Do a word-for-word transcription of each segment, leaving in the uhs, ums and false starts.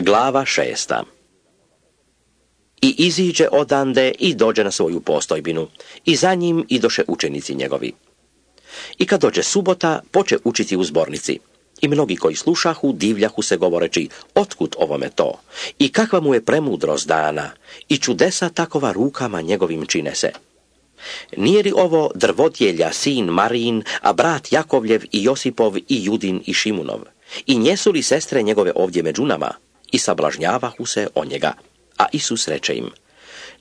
Glava šesta. I iziđe odande i dođe na svoju postojbinu, i za njim idoše učenici njegovi. I kad dođe subota, poče učiti u zbornici. I mnogi koji slušahu, divljahu se govoreći, otkud ovome to? I kakva mu je premudrost dana? I čudesa takova rukama njegovim čine se. Nije li ovo drvodjelja, sin Marijin, a brat Jakovljev i Josipov i Judin i Šimunov? I njesu li sestre njegove ovdje među nama? I sablažnjavahu se o njega. A Isus reče im,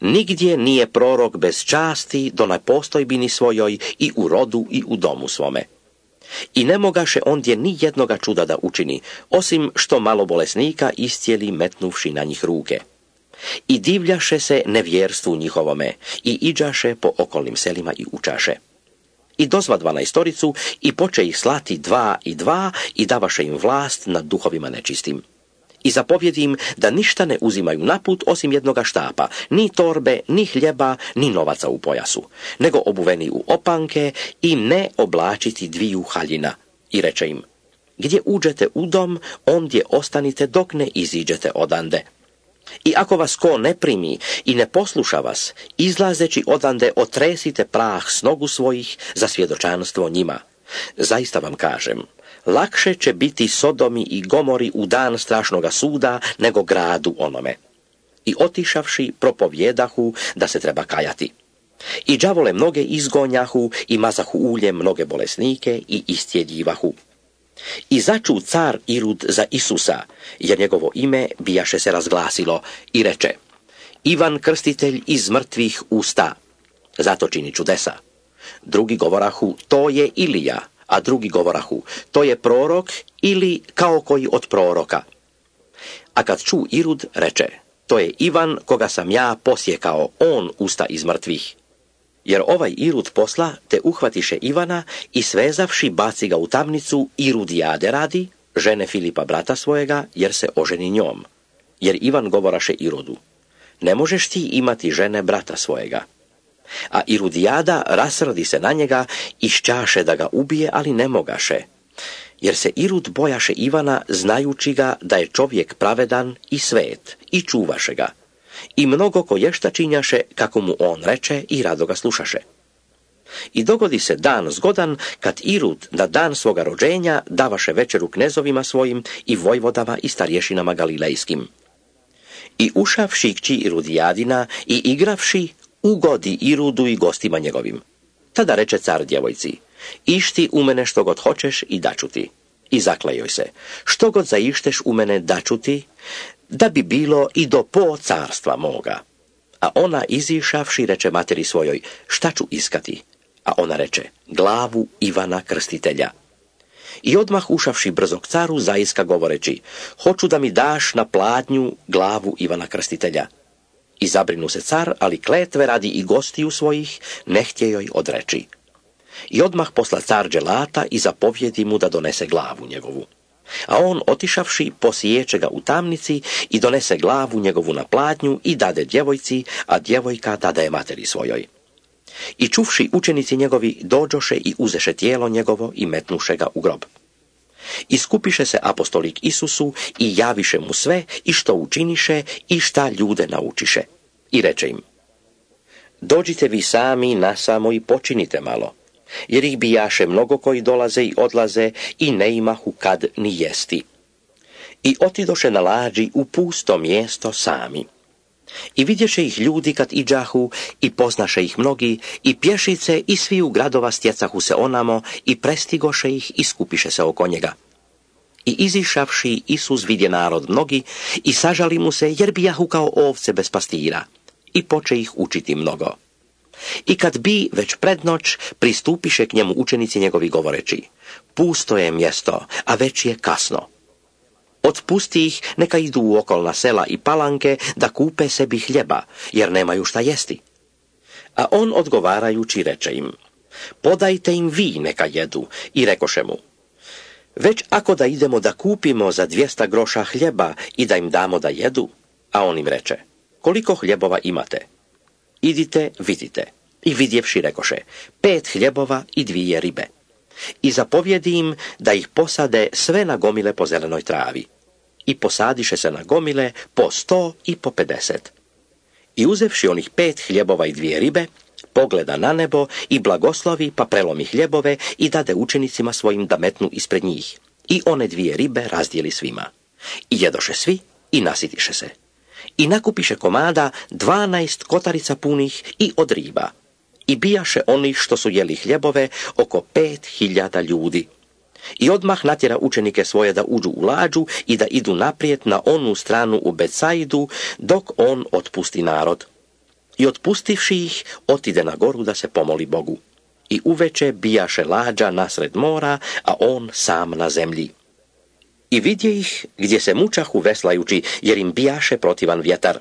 nigdje nije prorok bez časti do na postojbini svojoj i u rodu i u domu svome. I ne mogaše ondje ni jednoga čuda da učini, osim što malo bolesnika iscijeli metnuvši na njih ruke. I divljaše se nevjerstvu njihovome i iđaše po okolnim selima i učaše. I dozva dvanaestoricu i poče ih slati dva i dva i davaše im vlast nad duhovima nečistim. I zapovjedi im da ništa ne uzimaju naput osim jednoga štapa, ni torbe, ni hljeba, ni novaca u pojasu, nego obuveni u opanke i ne oblačiti dviju haljina. I reče im, gdje uđete u dom, ondje ostanite dok ne iziđete odande. I ako vas ko ne primi i ne posluša vas, izlazeći odande otresite prah s nogu svojih za svjedočanstvo njima. Zaista vam kažem, lakše će biti Sodomi i Gomori u dan strašnoga suda nego gradu onome. I otišavši propovjedahu da se treba kajati. I đavole mnoge izgonjahu i mazahu ulje mnoge bolesnike i istjeljivahu. I začu car Irud za Isusa, jer njegovo ime bijaše se razglasilo, i reče, Ivan Krstitelj iz mrtvih usta, zato čini čudesa. Drugi govorahu, to je Ilija, a drugi govorahu, to je prorok ili kao koji od proroka. A kad ču Irud, reče, to je Ivan koga sam ja posjekao, on usta iz mrtvih. Jer ovaj Irud posla te uhvatiše Ivana i svezavši baci ga u tamnicu Irudijade radi, žene Filipa brata svojega, jer se oženi njom. Jer Ivan govoraše Irodu, ne možeš ti imati žene brata svojega. A Irudijada rasrdi se na njega i šćaše da ga ubije, ali ne mogaše. Jer se Irud bojaše Ivana, znajući ga da je čovjek pravedan i svet, i čuvaše ga. I mnogo koješta činjaše, kako mu on reče, i rado ga slušaše. I dogodi se dan zgodan, kad Irud na dan svoga rođenja davaše večeru knezovima svojim i vojvodama i starješinama galilejskim. I ušavši kći Irudijadina i igravši, ugodi Irudu i gostima njegovim. Tada reče car djevojci, išti u mene što god hoćeš i daću ti. I zaklejoj se, što god zaišteš u mene daću ti, da bi bilo i do po carstva moga. A ona izišavši reče materi svojoj, šta ću iskati? A ona reče, glavu Ivana Krstitelja. I odmah ušavši brzo k caru zaiska govoreći, hoću da mi daš na pladnju glavu Ivana Krstitelja. I zabrinu se car, ali kletve radi i gostiju svojih, ne htje joj odreći. I odmah posla car dželata i zapovjedi mu da donese glavu njegovu. A on, otišavši, posiječe ga u tamnici i donese glavu njegovu na pladnju i dade djevojci, a djevojka dade materi svojoj. I čuvši učenici njegovi, dođoše i uzeše tijelo njegovo i metnuše ga u grob. I skupiše se apostolik Isusu i javiše mu sve i što učiniše i šta ljude naučiše. I reče im, dođite vi sami nasamo i počinite malo, jer ih bijaše mnogo koji dolaze i odlaze i ne imahu kad ni jesti. I otidoše na lađi u pusto mjesto sami. I vidješe ih ljudi kad iđahu i poznaše ih mnogi i pješice i svi u gradova stjecahu se onamo i prestigoše ih i skupiše se oko njega. I izišavši Isus vidje narod mnogi i sažali mu se jer bijahu kao ovce bez pastira i poče ih učiti mnogo. I kad bi već pred noć pristupiše k njemu učenici njegovi govoreći, pusto je mjesto, a već je kasno. Otpusti ih, neka idu u okolna sela i palanke da kupe sebi hljeba, jer nemaju šta jesti. A on odgovarajući reče im, podajte im vi neka jedu, i rekoše mu, već ako da idemo da kupimo za dvjesta groša hljeba i da im damo da jedu, a on im reče, koliko hljebova imate? Idite, vidite. I vidjevši rekoše, pet hljebova i dvije ribe. I zapovjedi im da ih posade sve na gomile po zelenoj travi. i posadiše se na gomile po sto i po pedeset. I uzevši onih pet hljebova i dvije ribe, pogleda na nebo i blagoslovi, pa prelomi hljebove i dade učenicima svojim da metnu ispred njih. I one dvije ribe razdijeli svima. I jedoše svi i nasitiše se. I nakupiše komada dvanaest kotarica punih i od riba. I bijaše onih što su jeli hljebove oko pet hiljada ljudi. I odmah natjera učenike svoje da uđu u lađu i da idu naprijed na onu stranu u Betsaidu, dok on otpusti narod. I otpustivši ih, otide na goru da se pomoli Bogu. I uveče bijaše lađa nasred mora, a on sam na zemlji. I vidje ih gdje se mučahu veslajući, jer im bijaše protivan vjetar.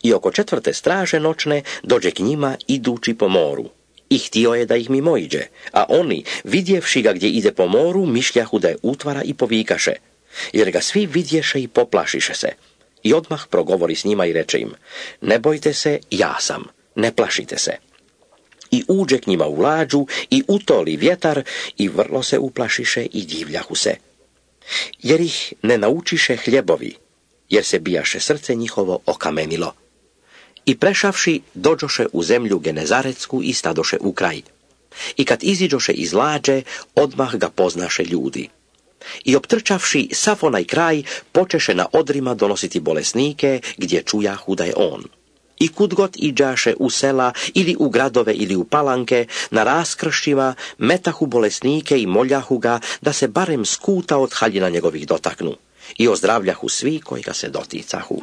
I oko četvrte straže noćne dođe k njima idući po moru. I htio je da ih mimoiđe, a oni, vidjevši ga gdje ide po moru, mišljahu da je utvara i povikaše, jer ga svi vidješe i poplašiše se. I odmah progovori s njima i reče im, ne bojte se, ja sam, ne plašite se. I uđe k njima u lađu i utoli vjetar i vrlo se uplašiše i divljahu se. Jer ih ne naučiše hljebovi, jer se bijaše srce njihovo okamenilo. I prešavši, dođoše u zemlju Genezaretsku i stadoše u kraj. I kad iziđoše iz lađe, odmah ga poznaše ljudi. I optrčavši sav onaj kraj, počeše na odrima donositi bolesnike, gdje čujahu da je on. I kud god iđaše u sela, ili u gradove, ili u palanke, na raskršćima, metahu bolesnike i moljahu ga, da se barem skuta od haljina njegovih dotaknu. I ozdravljahu svi koji ga se doticahu.